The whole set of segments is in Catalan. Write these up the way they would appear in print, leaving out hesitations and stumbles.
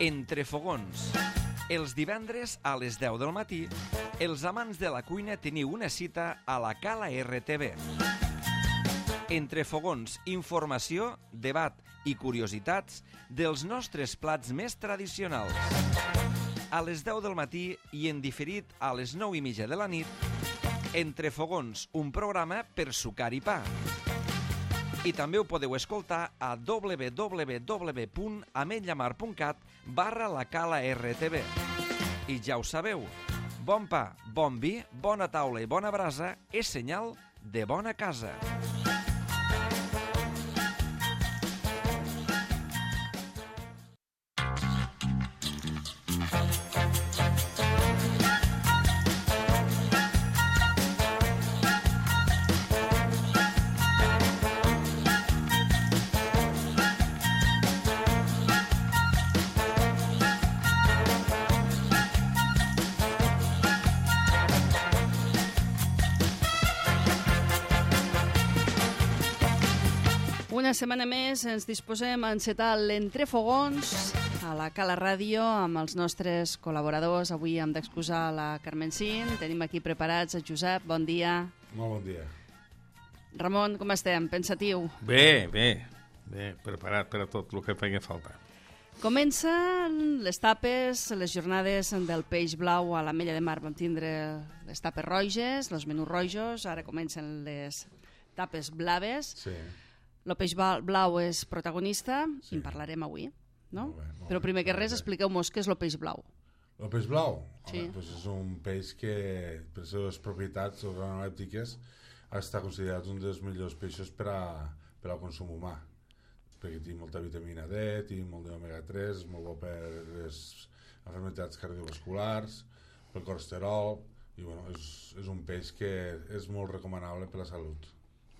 Entre fogons. Els divendres a les 10 del matí, els amants de la cuina teniu una cita a la Cala RTV. Entre fogons, informació, debat i curiositats dels nostres plats més tradicionals. A les 10 del matí i en diferit a les 9:30 de la nit, Entre fogons, un programa per sucar i pa. I també ho podeu escoltar a www.ametlllamar.cat/la Cala RTV. I ja ho sabeu, bon pa, bon vi, bona taula i bona brasa és senyal de bona casa. Una setmana més ens disposem a encetar l'Entrefogons a la Cala Ràdio amb els nostres col·laboradors. Avui hem d'exposar la Carmen Cin. Tenim aquí preparats a Josep. Bon dia. Molt bon dia. Ramon, com estem? Pensatiu? Bé, preparat per a tot el que faci falta. Comencen les tapes, les jornades del peix blau a l'Ametlla de Mar. Vam tindre les tapes roges, els menús rojos, ara comencen les tapes blaves. Sí. El peix blau és protagonista, sí. En parlarem avui, no? Molt Però primer que res, bé. expliqueu-nos què és el peix blau. El peix blau? Sí. Home, doncs és un peix que, per les seves propietats organolèptiques, està considerat un dels millors peixos per al consum humà, perquè té molta vitamina D, té molt d'omega-3, és molt bo per les malalties cardiovasculars, pel colesterol, i bueno, és un peix que és molt recomanable per la salut.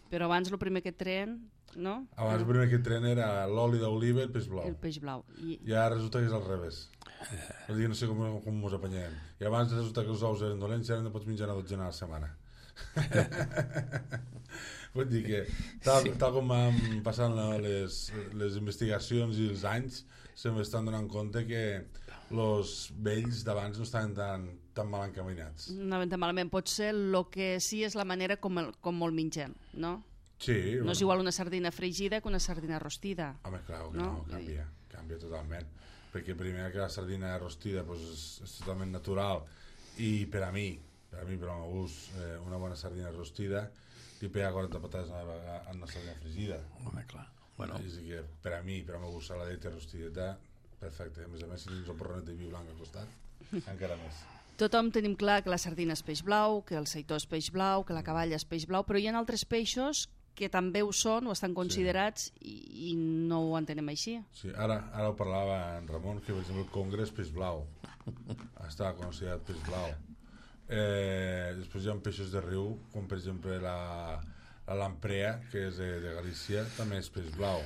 Però abans el primer que tren, no? Abans el primer que tren era l'oli d'oliva i el peix blau. El peix blau. I ara resulta que és al revés. Vull dir, no sé com mos apanyem. I abans resulta que els ous eren dolents i ara no pots menjar una dotzena a la setmana. Vull dir que, tal com van passant les investigacions i els anys, se m'estan donant compte que els vells d'abans no estaven tan mal encaminats. No ben malament. Potser el que sí és la manera com el mengem, no? Sí. No és igual una sardina fregida que una sardina rostida. Home, clar, que no? Canvia totalment. Perquè primer que la sardina rostida és totalment natural i per a mi, per al meu gust, una bona sardina rostida li pega 40 patades a una sardina fregida. Home, clar. Bueno. És que per a mi, per al meu gust, saladeta rostideta, perfecte. A més, si tens un porronet de vi blanc al costat, encara més. Tothom tenim clar que la sardina és peix blau, que el seitó és peix blau, que la caballa és peix blau, però hi ha altres peixos que també ho són o estan considerats i no ho entenem així. Sí, ara ho parlava en Ramon, que per exemple el congre és peix blau. Està considerat peix blau. Després hi ha peixos de riu, com per exemple la lamprea, que és de Galícia, també és peix blau.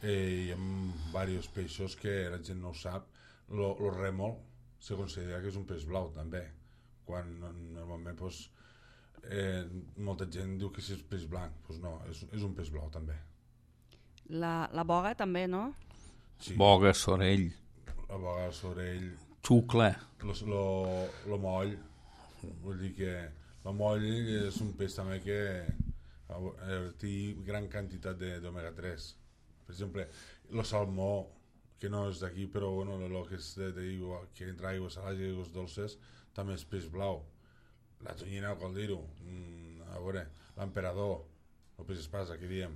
Hi ha diversos peixos que la gent no ho sap. El rèmol se considera que és un peix blau també, quan normalment molta gent diu que és peix blanc. Doncs no, és un peix blau també. La boga també, no? Sí. Boga, sorell. La boga, sorell. Xucla. Lo moll. Vull dir que el moll és un peix també que té gran quantitat d'omega-3. Per exemple, el salmó, que no és d'aquí, però bueno, el que és d'aigua, que entra aigües salades i aigües dolces, també és peix blau. La tonyina, cal dir-ho. A veure, l'emperador, el peix espasa, que diem.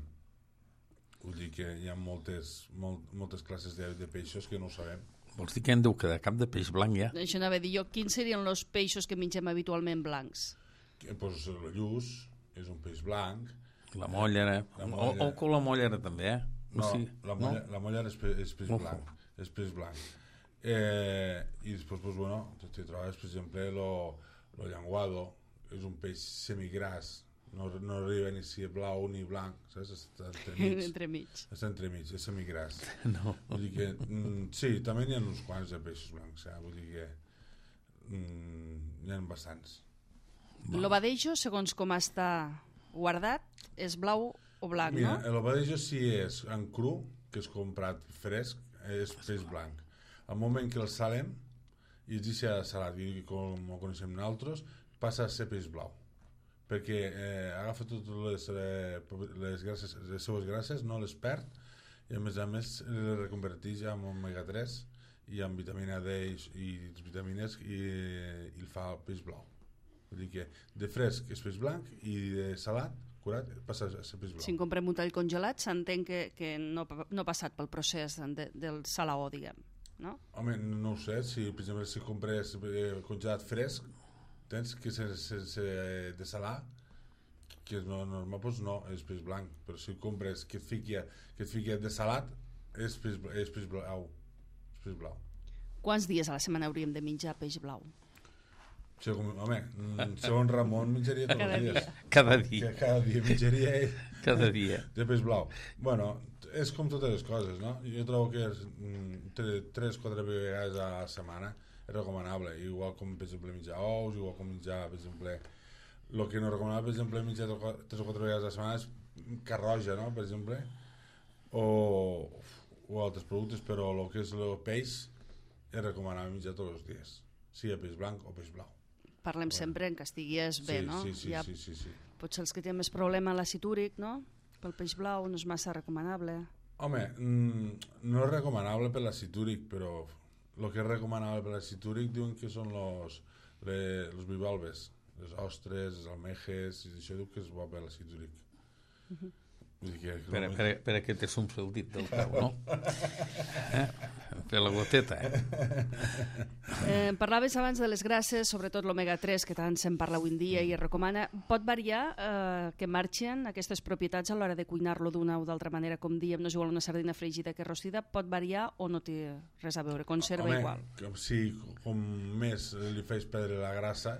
Vull dir que hi ha moltes classes de peixos que no ho sabem. Vols dir que en deu quedar cap de peix blanc, ja? Això anava a dir jo. Quins serien els peixos que mengem habitualment blancs? Doncs el lluç és un peix blanc. La mollera. O con la mollera també, eh? No, la mollera és peix blanc. És peix blanc. I després, doncs, bueno, te trobes, per exemple, el llenguado, és un peix semigras, no arriba ni si blau ni blanc, saps? Està entremig. Està entremig, és semigras. No. Vull dir que, sí, també n'hi ha uns quants de peixos blancs, vull dir que n'hi ha bastants. El badejo, segons com està guardat, és blau o blanc, mira, no? El badejo si és en cru, que és comprat fresc, és peix blanc. al moment que el salem i es deixa salat, com ho coneixem nosaltres, passa a ser peix blau, perquè agafa totes les grasses, les seues grasses, no les perd, i a més les reconverteix en omega 3 i amb vitamina D i vitamines i el fa el peix blau. Vull dir que de fresc és peix blanc i de salat, curat, passa a ser peix blau. Si en comprem un tall congelat, s'entén que no ha passat pel procés del salaó, diguem, no? Home, no ho sé, si per exemple si compres congelat fresc, tens que sense dessalar, que és normal, doncs no, és peix blanc, però si compres que et fiqui dessalat, és peix blau. És peix blau. Quants dies a la setmana hauríem de menjar peix blau? Home, segons Ramon menjaria tots els dies. Cada dia. Cada dia menjaria ell. Cada dia. De peix blau. Bueno, és com totes les coses, no? Jo trobo que 3-4 vegades a la setmana és recomanable. Igual com, per exemple, menjar ous, igual com menjar, per exemple... El que no recomanable, per exemple, menjar 3 o 4 vegades a la setmana és carn roja, no?, per exemple, o altres productes, però el que és el peix és recomanable menjar tots els dies, sigui peix blanc o peix blau. Parlem sempre en que estigués bé, no? Sí. Potser els que tenen més problema amb l'àcid úric, no? Pel peix blau no és massa recomanable. Home, no és recomanable per l'àcid úric, però el que és recomanable per l'àcid úric diuen que són los bivalves, les ostres, les almejes, i això diu que és bo per l'àcid úric. Per a què te s'omple el dit del peu, no? Per la goteta, Parlaves abans de les grasses, sobretot l'omega 3, que tant se'n parla avui en dia i es recomana. Pot variar que marxen aquestes propietats a l'hora de cuinar-lo d'una o d'altra manera, com diem, no és igual una sardina fregida que rostida, pot variar o no té res a veure, conserva igual? Sí, com més li fes perdre la grassa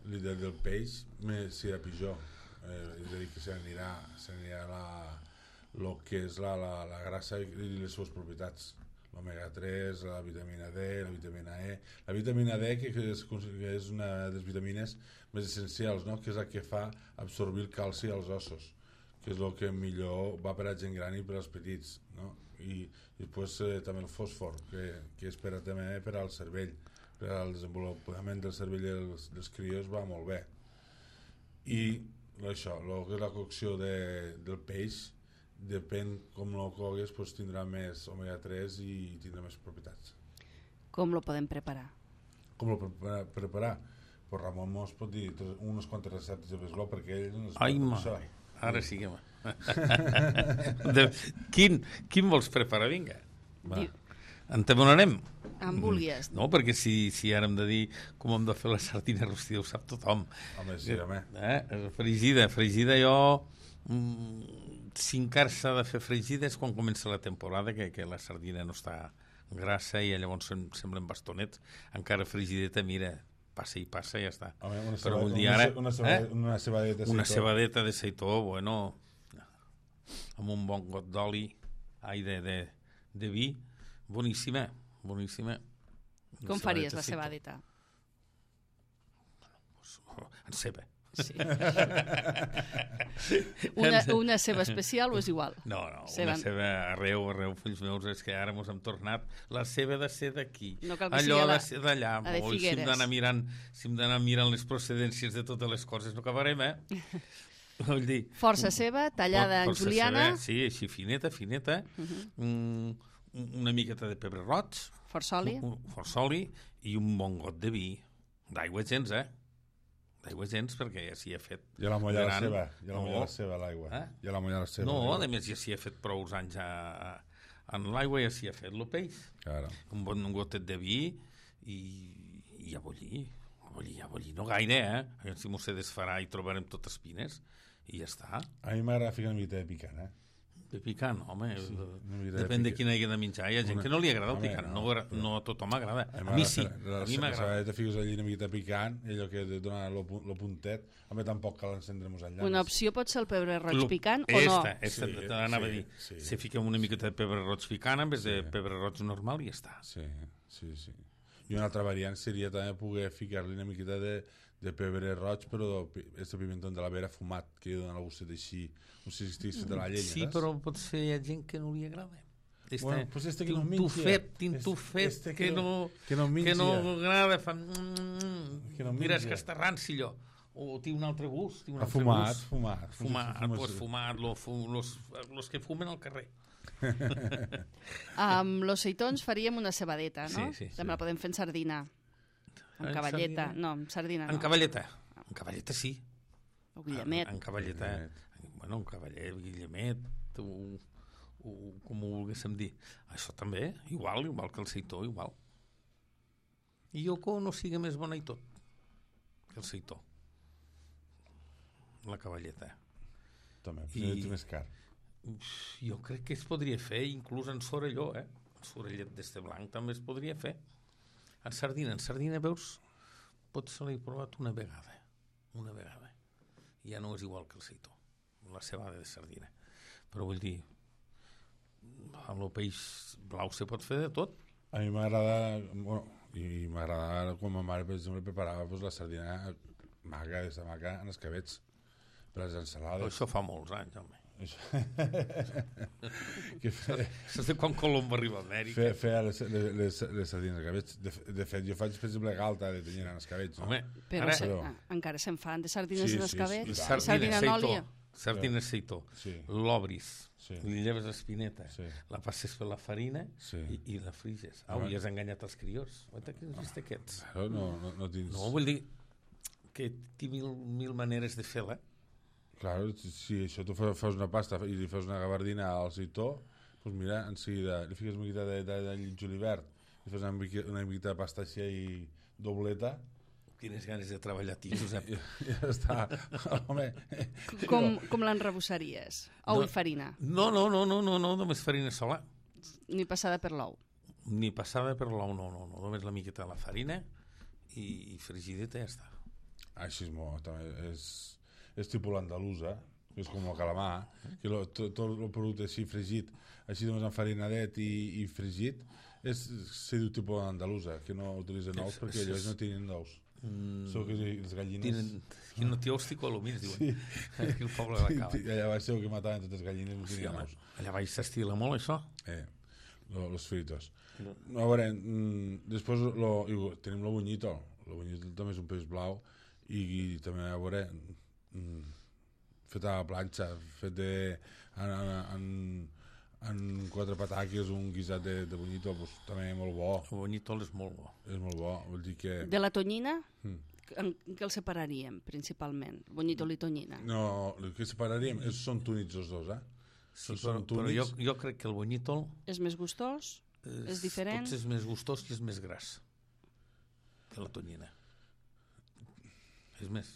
del peix, més serà pitjor. És a dir, que s'anirà el que és la grassa i les seves propietats, l'omega 3, la vitamina D, la vitamina E. La vitamina D, que és una de les vitamines més essencials, no?, que és la que fa absorbir el calci als ossos, que és el que millor va per a gent gran i per als petits, no? I després també el fòsfor, que és també per al cervell, per al desenvolupament del cervell dels crios va molt bé. I això, el que és la cocció del peix, depèn com el cogues, doncs tindrà més omega 3 i tindrà més propietats. Com lo podem preparar? Com lo preparar? Pues Ramon mos pot dir unes quantes receptes de peix blau, perquè ell no es ai, això. Ara sí que quin vols preparar? Vinga. En te donarem? En vulguis. No, perquè si ara hem de dir com hem de fer la sardina rostida, ho sap tothom. Home, sí, home. Fregida jo... si encara s'ha de fer fregida és quan comença la temporada, que la sardina no està grassa i llavors semblen bastonets. Encara fregideta, mira, passa i passa i ja està. Home, una cebadeta de seitó, bueno, amb un bon got d'oli, de vi, boníssima. Com faries la cebadeta? En ceba. Sí. Una ceba especial o és igual? No, una ceba arreu, fills meus, és que ara mos hem tornat la ceba de ser d'aquí, allò de ser d'allà. Si hem d'anar mirant les procedències de totes les coses no acabarem, Vull dir, força ceba, tallada en juliana. Sí, així fineta. Una miqueta de pebre roig, força oli i un bon got de vi, d'aigua gens, d'aigua gens, perquè ja s'hi ha fet. Ja la molla la ceba, l'aigua. Ja la molla la ceba. No, a més ja s'hi ha fet prou anys en l'aigua, ja s'hi ha fet el peix. Claro. Un bon gotet de vi i a bullir, no gaire, si m'ho sé desfarà i trobarem totes espines i ja està. A mi m'agrada ficar una miqueta de picant, De picant, home, depèn de quina hagi de menjar. Hi ha gent que no li agrada el picant, no a tothom m'agrada. A mi sí, a mi m'agrada. Te fiques allí una miqueta picant, allò que dona el puntet, home, tampoc cal encendre-nos enllà. Una opció pot ser el pebre roig picant o no? T'anava a dir, si fiquem una miqueta de pebre roig picant en vez de pebre roig normal i ja està. Sí. I una altra variant seria també poder ficar-li una miqueta de pebre roig, però este pimentó de la vera fumat, que dona el gustet així, no sé si estiguis de la llenya. Sí, però potser hi ha gent que no li agrada. Bueno, pues este que no tintufet, que no agrada, fa... Mira, és que està ranci, allò. O té un altre gust. Fumat. Los que fumen al carrer. Amb los seitons faríem una cebadeta, no? Sí. També la podem fer en sardina. Amb cavalleta. No, amb sardina no. En cavalleta sí. O guillemet. En cavalleta. Bueno, un cavallet, guillemet, com ho volguéssim dir. Això també, igual que el seitó, igual. I Yoko no sigui més bona i tot que el seitó. La cavalleta. També, és més car. Jo crec que es podria fer, inclús en sorelló, en sorellet d'este blanc també es podria fer. En sardina, veus, potser l'he provat una vegada. Ja no és igual que el seitó, la cebada de sardina. Però vull dir, amb el peix blau se pot fer de tot. A mi m'agrada, quan ma mare, per exemple, preparava la sardina maca en escabets per les ensalades. Això fa molts anys, home. Això és de quan Colom va arribar a Amèrica. Feia les sardines escabets. De fet, jo faig, per exemple, galta de tonyina en escabets. Home, però encara se'n fan de sardines en escabets. Sardina en oli. Sardina seitó. L'obris. Li lleves l'espineta. La passes per la farina i la friges. I has enganyat els criors. Què has vist aquests? No tens... No, vull dir que té mil maneres de fer-la. Clar, si això tu fas una pasta i li fas una gabardina al seitó, doncs mira, en seguida li fiques una miqueta de julivert, li fas una miqueta de pasta així i dobleta. Quines ganes de treballar, tio, Josep. Ja està. Home. Com l'enrebossaries? Ou i farina? No, només farina sola. Ni passada per l'ou? Ni passada per l'ou, no. Només la miqueta de la farina i fregideta i ja està. Així és molt, també és tipus l'andalusa, que és com el calamar, que tot el producte així fregit, així només enfarinadet i fregit, se diu tipus l'andalusa, que no utilitzen ous perquè ells no tenen ous. Sou que les gallines... Que no té ous ticolomins, diuen. Aquí el poble de la Cala. Allà baix segur que mataven totes les gallines, no tenien ous. Allà baix s'estila molt, això? Los fritos. A veure, després tenim el bunyito. El bunyito també és un peix blau i també, a veure, fet a la planxa, fet en 4 pataques, un guisat de bunyito, també molt bo. El bunyito és molt bo. És molt bo, vol dir que... De la tonyina, en què el separaríem, principalment? Bunyito i tonyina? No, el que separaríem són túnids els dos, Sí, però jo crec que el bunyito... És més gustós? És diferent? Potser és més gustós i és més gras que la tonyina. És més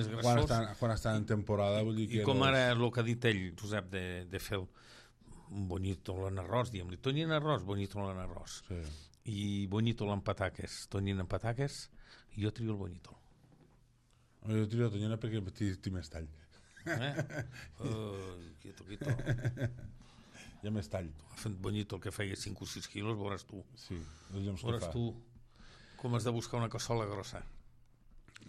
grassós. Quan està en temporada, vull dir que... I com ara el que ha dit ell, Josep, de fer un bunyito en arròs, diguem-li, tonyina en arròs, bunyito en arròs. Sí. I bunyito en pataques, tonyina en pataques, i jo trio el bunyito. Jo trio la tonyina perquè té més tall. Quieto. Hi ha més tall. Fent bunyito el que feia 5 o 6 quilos, veuràs tu. Sí, els lloms que veuràs fa. tu com has de buscar una cassola grossa.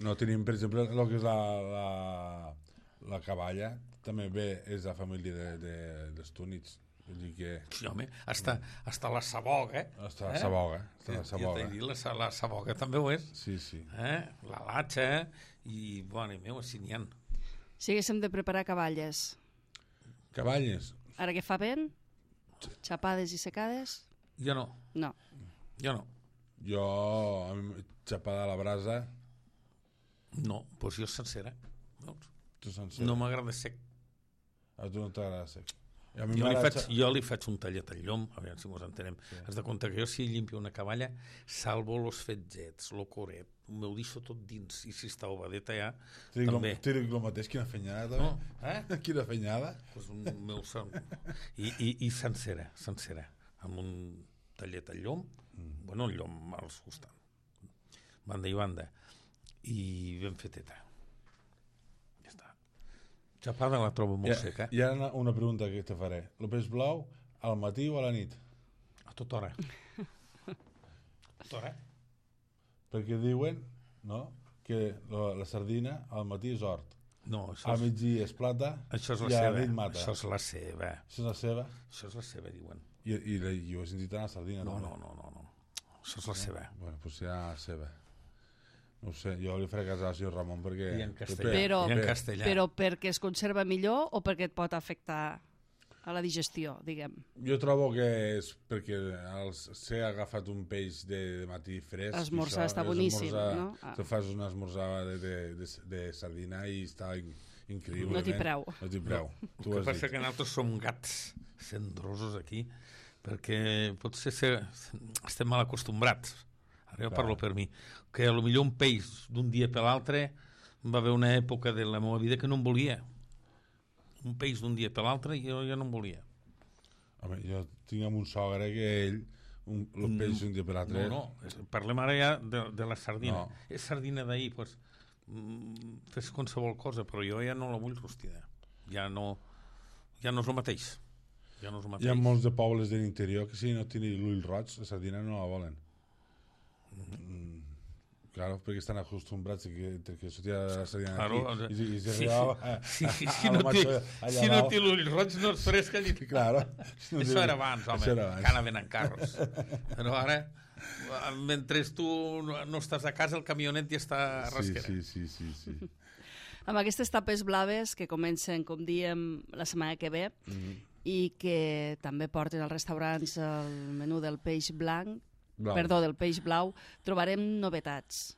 No, tenim, per exemple, el que és la caballa, també bé, és la família dels túnids. Vull dir que... Sí, home, hasta la saboga, Hasta la saboga. Jo t'he dit, la saboga també ho és. Sí. La latxa, i, bueno, meu, així n'hi ha. Si haguéssim de preparar caballes. Caballes? Ara que fa vent, xapades i secades? Jo no. No. Jo, xapada a la brasa... No, doncs jo sencera. Tu sencera? No m'agrada sec. A tu no t'agrada sec. Jo li faig un tallet al llom, a veure si mos entenem. Sí. Has de compte que jo si llimpio una caballa, salvo los fetzets, lo coret, m'ho deixo tot dins, i si està ovadeta ja, també. T'he dit el mateix, quina fenyada, també. No? Quina fenyada. Pues meu son. I sencera, amb un tallet al llom, bueno, el llom als costats, banda i banda, i ben feteta. Ja està. Xapada la trobo molt seca. Hi ha una pregunta que te faré. El peix blau al matí o a la nit? A tota hora. Perquè diuen, no?, que la sardina al matí és hort. No, a migdia és plata això és i a la nit mata. Això és la ceba. Això és la ceba? Això és la ceba, diuen. I ho he sentit a la sardina. No. Això és la seva. Bueno, doncs serà la seva. No ho sé, jo li faré casar al senyor Ramon perquè... I en castellà. Però perquè es conserva millor o perquè et pot afectar a la digestió, diguem? Jo trobo que és perquè s'he agafat un peix de matí fresc. Esmorzar està boníssim, no? Te fas una esmorzada de sardina i està increïble. No t'hi preu. No t'hi preu. El que passa que nosaltres som gats cendrosos aquí, perquè potser estem mal acostumbrats. Ara jo parlo per mi. Que potser un peix d'un dia per l'altre va haver una època de la meva vida que no em volia. Un peix d'un dia per l'altre i jo ja no en volia. Home, jo tinc un sogre que ell, un peix d'un dia per l'altre... No, parlem ara ja de la sardina. No. És sardina d'ahir, doncs, fes qualsevol cosa, però jo ja no la vull rostida. Ja no és el mateix. Hi ha molts de pobles de l'interior que si no tenen l'ull roig, la sardina no la volen. Claro, perquè estan acostumbrats que sortia la sardina aquí i s'arribava si no té l'ull roig no és fresca ni... Claro. Això era abans, home, que anaven en carros. Però ara, mentre tu no estàs a casa, el camionet ja està a rasquera. Sí. Amb aquestes tapes blaves que comencen, com diem, la setmana que ve i que també porten als restaurants el menú del peix blanc, del peix blau, trobarem novetats.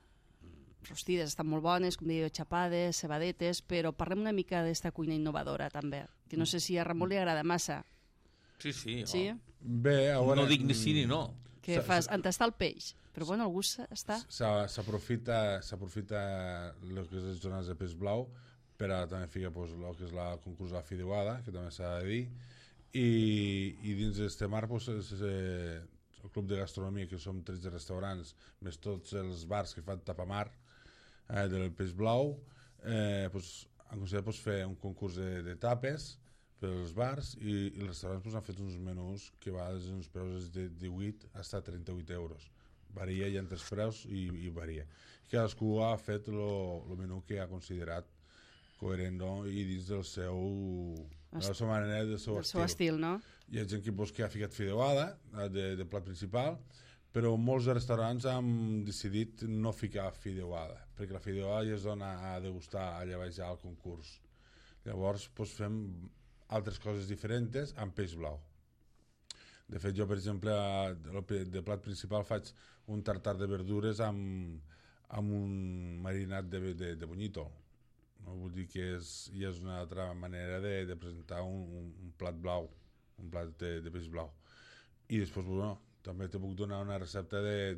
Rostides estan molt bones, com diu, xapades, cebadetes, però parlem una mica d'esta cuina innovadora, també, que no sé si a Ramon li agrada massa. Sí. Bé, a veure... No dic ni sí ni no. Què fas? Entastar el peix. Però bueno, el gust està... S'aprofita el que és les zones de peix blau per a també ficar el que és la concurs de la fideuada, que també s'ha de dir, i dins d'este marc el club de gastronomia, que som 13 restaurants, més tots els bars que fan tapamar del peix blau, han considerat fer un concurs de tapes per als bars i els restaurants han fet uns menús que va des d'uns preus de 18 fins a 38 euros. Varia, hi ha tres preus i varia. Cadascú ha fet el menú que ha considerat coherent i dins del de la seva manera, del seu estil, no? Hi ha gent que ha ficat fideuada de plat principal, però molts de restaurants han decidit no ficar fideuada, perquè la fideuada ja es dona a degustar allà baix al concurs. Llavors fem altres coses diferents amb peix blau. De fet, jo, per exemple, de plat principal faig un tartar de verdures amb un marinat de bonyito. No? Vull dir que ja és una altra manera de presentar un plat blau, un plat de peix blau. I després, també te puc donar una recepta de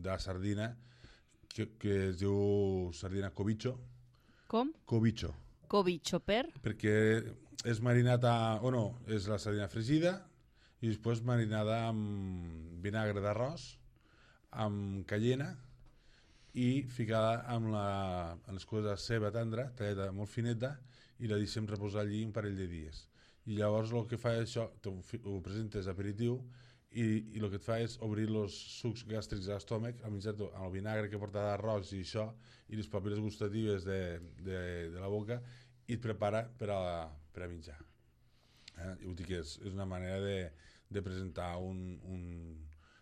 la sardina que es diu sardina cobicho. Com? Cobicho. Cobicho, perquè és marinat és la sardina fregida i després marinada amb vinagre d'arròs, amb cayena i ficada amb les coses de ceba tendra, tallada molt fineta, i la deixem reposar allí un parell de dies. I llavors el que fa és això, ho presentes aperitiu i el que et fa és obrir els sucs gàstrics de l'estómac amb el vinagre que porta d'arròs i això, i les papil·les gustatives de la boca, i et prepara per a menjar. Vull dir que és una manera de presentar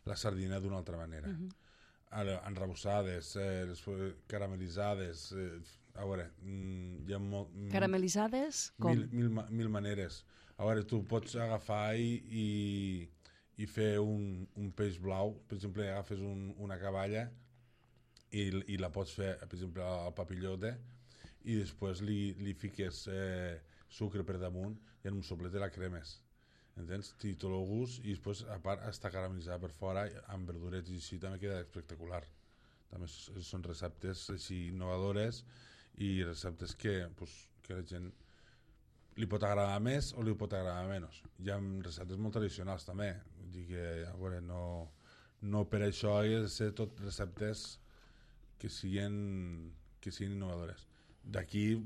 la sardina d'una altra manera. Enrebossades, caramelitzades, a veure, hi ha caramelitzades? Com? Mil maneres. A veure, tu pots agafar i fer un peix blau, per exemple, agafes una caballa i la pots fer, per exemple, al papillote, i després li fiques sucre per damunt i en un soplet la cremes. Entens? Té tot el gust i després, a part, està caramelitzada per fora amb verdurets i així també queda espectacular. També són receptes així innovadores i receptes que la gent li pot agradar més o li pot agradar menys. Hi ha receptes molt tradicionals també, vull dir que a veure, no per això ha de ser tot receptes que siguin innovadores. D'aquí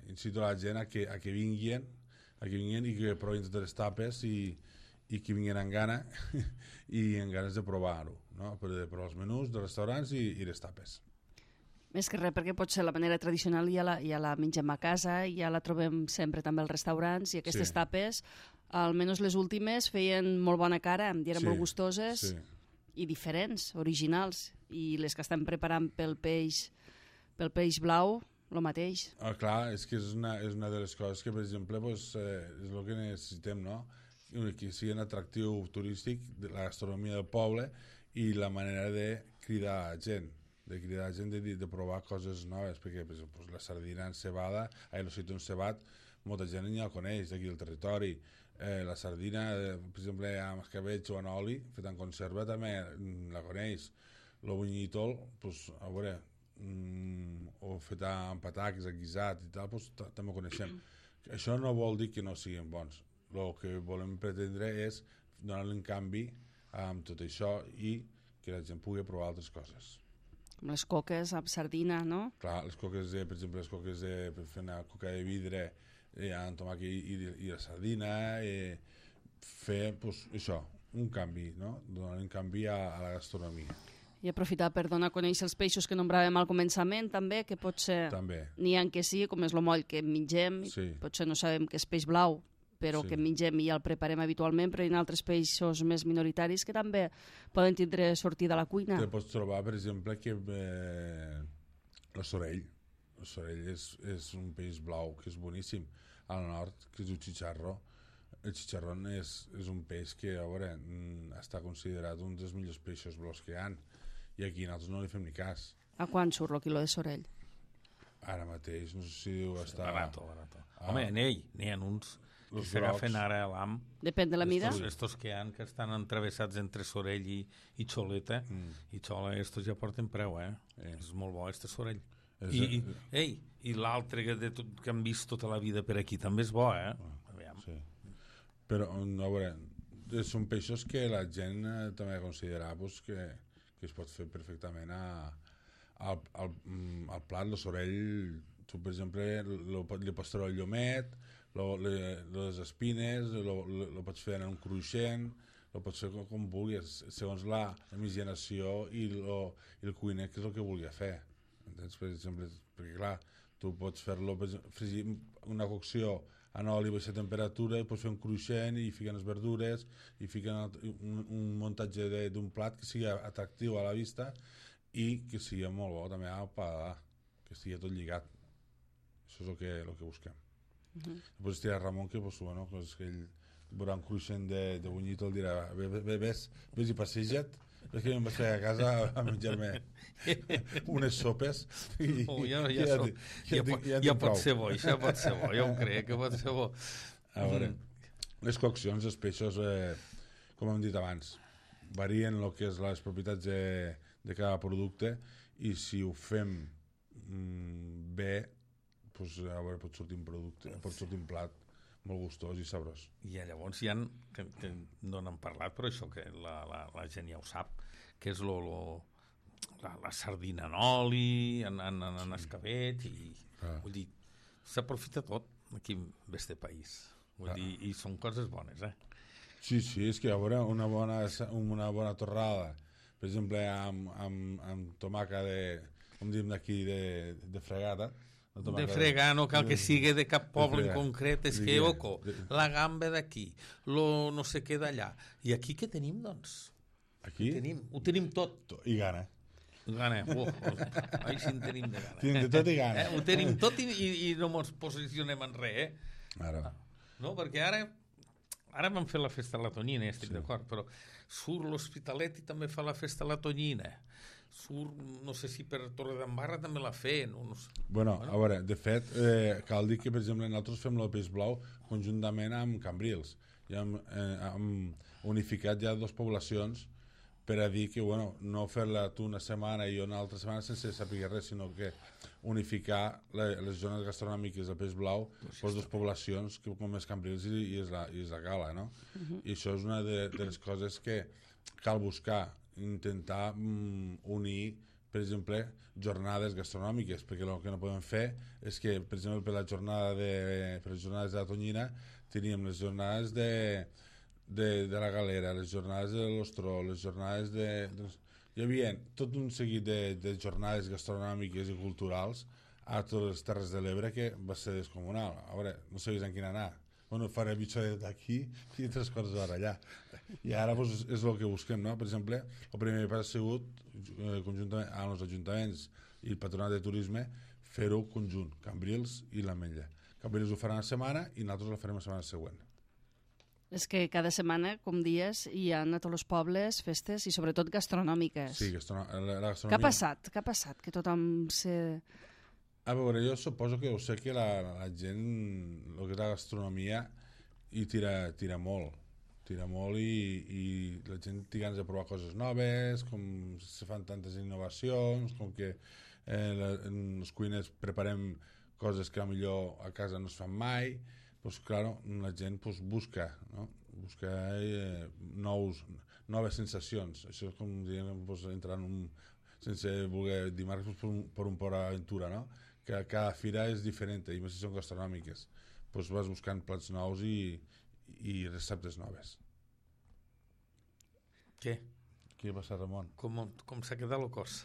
incito a la gent a que vinguin i que provin de les tapes i que vinguin amb gana i amb ganes de provar-ho, no? De provar els menús dels restaurants i les tapes. Més que res, perquè potser la manera tradicional ja la mengem a casa, ja la trobem sempre també als restaurants i aquestes tapes almenys les últimes, feien molt bona cara i eren molt gustoses i diferents, originals. I les que estan preparant pel peix blau, el mateix. Clar, és que és una de les coses que, per exemple, és el que necessitem, no? Que sigui un atractiu turístic de la gastronomia del poble i la manera de cridar gent, de provar coses noves, perquè per exemple, la sardina encebada, l'ocitó encebat, molta gent ja la coneix d'aquí del territori. La sardina, per exemple, amb escabetx o en oli, fet en conserva, també la coneix. El bunyitol, a veure, o fet amb pataques, guisat i tal, també ho coneixem. Això no vol dir que no siguin bons. El que volem pretendre és donar-li un canvi amb tot això i que la gent pugui provar altres coses. Com les coques amb sardina, no? Clar, les coques, per exemple, per fer una coca de vidre amb tomàquet i la sardina, fer això, un canvi, no? Donar un canvi a la gastronomia. I aprofitar per donar a conèixer els peixos que nombràvem al començament, també, que potser n'hi ha que sí, com és el moll que mengem, potser no sabem que és peix blau, però que mengem i ja el preparem habitualment, però hi ha altres peixos més minoritaris que també poden tindre sortida a la cuina. Te pots trobar, per exemple, que el sorell és un peix blau que és boníssim. Al nord, que és el xicharró. El xicharrón és un peix que, a veure, està considerat un dels millors peixos blaus que hi ha, i aquí nosaltres no li fem ni cas. A quant surt el quilo de sorell? Ara mateix, no sé si diu està... Barato. Home, n'hi ha uns que s'agafen ara a l'am. Depèn de la mida? Estos que estan entravessats entre sorell i xoleta, i xola, estos ja porten preu, És molt bo, este sorell. I l'altre que han vist tota la vida per aquí també és bo, Aviam. Sí. Però, a veure, són peixos que la gent també ha de considerar que es pot fer perfectament al plat. El sorell, tu, per exemple, li pots treure el llomet, les espines, el pots fer en un cruixent, el pots fer com vulguis, segons la miscigenació i el cuiner, que és el que volia fer. Entens? Per exemple, perquè clar, tu pots fer-lo, fregir una cocció en oli a baixa temperatura, i pots fer un cruixent i fiquen les verdures i fiquen un muntatge d'un plat que sigui atractiu a la vista i que sigui molt bo també al paladar, que estigui tot lligat. Això és el que busquem. Després estirà Ramon, que ell veurà un cruixent de bunyit, el dirà, ves i passeja't. És que em vaig fer a casa a menjar-me unes sopes i ja pot ser bo, això pot ser bo, jo ho crec que pot ser bo. A veure, les coccions, els peixos, com hem dit abans, varien el que és les propietats de cada producte, i si ho fem bé, a veure, pot sortir un producte, pot sortir un plat molt gustós i sabrós. I llavors hi ha, que no n'hem parlat, però això que la gent ja ho sap, que és la sardina en oli, en escabet, i vull dir, s'aprofita tot aquí en este país. Vull dir, i són coses bones, Sí, és que a veure, una bona torrada, per exemple, amb tomàquet com diem d'aquí, de fregada, de fregar, no cal que sigui de cap poble en concret, és que, la gamba d'aquí, no sé què d'allà. I aquí què tenim, doncs? Aquí? Ho tenim tot. I gana. Ai, si en tenim de gana. Tenim de tot i gana. Ho tenim tot i no ens posicionem en res, Ara. No, perquè ara vam fer la festa a la Tonyina, estic d'acord, però surt l'Hospitalet i també fa la festa a la Tonyina. Surt, no sé si per Torredembarra també la feien. Bueno, a veure, de fet, cal dir que, per exemple, nosaltres fem el peix blau conjuntament amb Cambrils. Ja hem unificat ja 2 poblacions per a dir que, no fer-la tu una setmana i una altra setmana sense saber res, sinó que unificar les zones gastronòmiques del peix blau per 2 poblacions, com és Cambrils i és la Gala, no? I això és una de les coses que cal buscar, intentar unir, per exemple, jornades gastronòmiques, perquè el que no podem fer és que, per exemple, per les jornades de la Tonyina teníem les jornades de la Galera, les jornades de l'Ostró, les jornades hi havia tot un seguit de jornades gastronòmiques i culturals a totes les Terres de l'Ebre que va ser descomunal. A veure, no sabies en quin anar. bueno, faré mitja hora d'aquí i 3 quarts d'hora allà. I ara pues, és el que busquem, no? Per exemple, el primer pas ha sigut, conjuntament amb els ajuntaments i el Patronat de Turisme, fer-ho conjunt, Cambrils i l'Ametlla. Cambrils ho faran la setmana i nosaltres la farem la setmana següent. És que cada setmana, com dies, hi ha a tots els pobles festes i sobretot gastronòmiques. Sí, la gastronomia... Què ha passat? Què ha passat? Que tothom se... A veure, jo suposo que ho sé que la gent, el que és la gastronomia, hi tira molt. Tira molt i la gent té ganes de provar coses noves, com se fan tantes innovacions, com que els cuiners preparem coses que millor a casa no es fan mai, pues claro, la gent pues, busca, no? Busca noves sensacions. Això és com dient, pues, entrar en un, sense voler dir marques, pues, per un Port Aventura, no? Que cada fira és diferent, i més si són gastronòmiques. Pues vas buscant plats nous i receptes noves. Què? Què passa, Ramon? Com s'ha quedat el cos?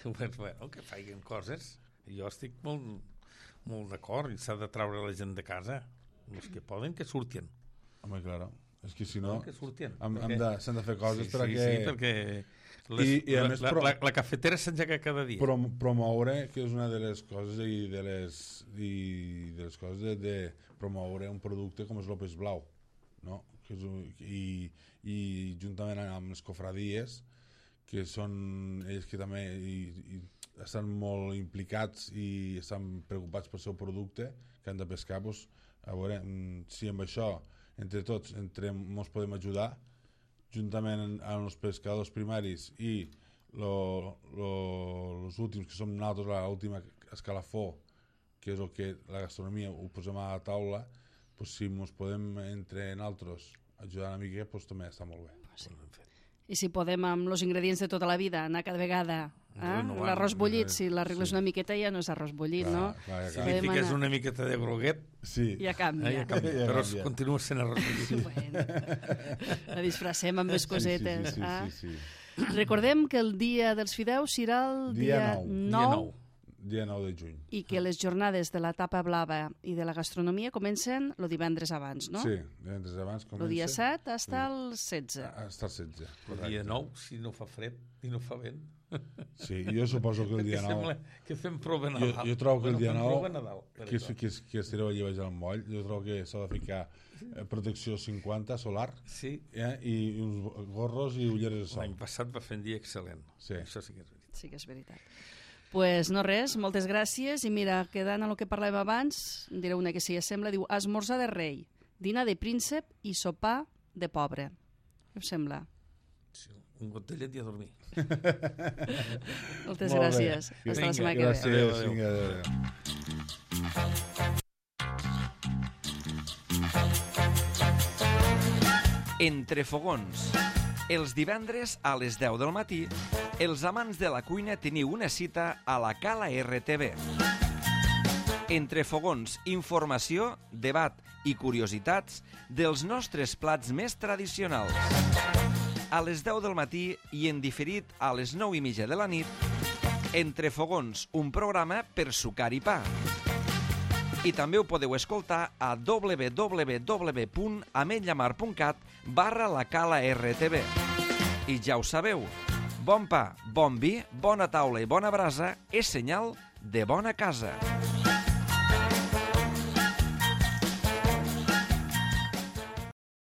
Bueno, que facin coses. Jo estic molt d'acord, i s'ha de treure la gent de casa. Els que poden, que surtin. Home, claro. És que si no, que surtin. s'han de fer coses perquè... Sí, perquè la cafetera s'engega cada dia. Promoure, que és una de les coses i de les coses de promoure un producte com és l'Opes Blau, no? I juntament amb les cofradies, que són ells que també estan molt implicats i estan preocupats pel seu producte que han de pescar, doncs, a veure si amb això entre tots ens podem ajudar juntament amb els pescadors primaris i els últims que som nosaltres, l'última escalafó, que és el que la gastronomia ho posem a la taula, doncs si ens podem entre nosaltres ajudar una mica, doncs també està molt bé. Sí. I si podem amb els ingredients de tota la vida anar cada vegada l'arròs bullit, si l'arregles una miqueta ja no és arròs bullit, no? Si li fiques una miqueta de groguet ja canvia. Però continua sent arròs bullit. Bueno, la disfracem amb més cosetes. Sí. Recordem que el dia dels fideus serà el dia 9 dia 9 de juny. I que les jornades de la tapa blava i de la gastronomia comencen el divendres abans, no? Sí, divendres abans comença. El dia 7 hasta el 16. Hasta el 16. El dia 9, si no fa fred i no fa vent. Sí, jo suposo que el dia 9... Sembla que fem prova Nadal. Jo trobo que el dia 9, que estireu allà baix al moll, jo trobo que s'ha de ficar protecció 50 solar i uns gorros i ulleres de sol. L'any passat va fer un dia excel·lent. Això sí que és veritat. Sí que és veritat. Pues no res, moltes gràcies, i mira, quedant a lo que parlàvem abans, direu una que s'hi assembla, diu esmorzar de rei, dinar de príncep i sopar de pobre. Què us sembla? Sí, un got de llet i a dormir. Moltes gràcies. Fins la setmana que ve. Gràcies. Adéu. Entre fogons. Els divendres a les 10 del matí, els amants de la cuina teniu una cita a la Cala RTV. Entre fogons, informació, debat i curiositats dels nostres plats més tradicionals. A les 10 del matí i en diferit a les 9:30 de la nit, Entre fogons, un programa per sucar i pa. I també ho podeu escoltar a www.ametllamar.cat/la Cala RTV. I ja ho sabeu, bon pa, bon vi, bona taula i bona brasa és senyal de bona casa.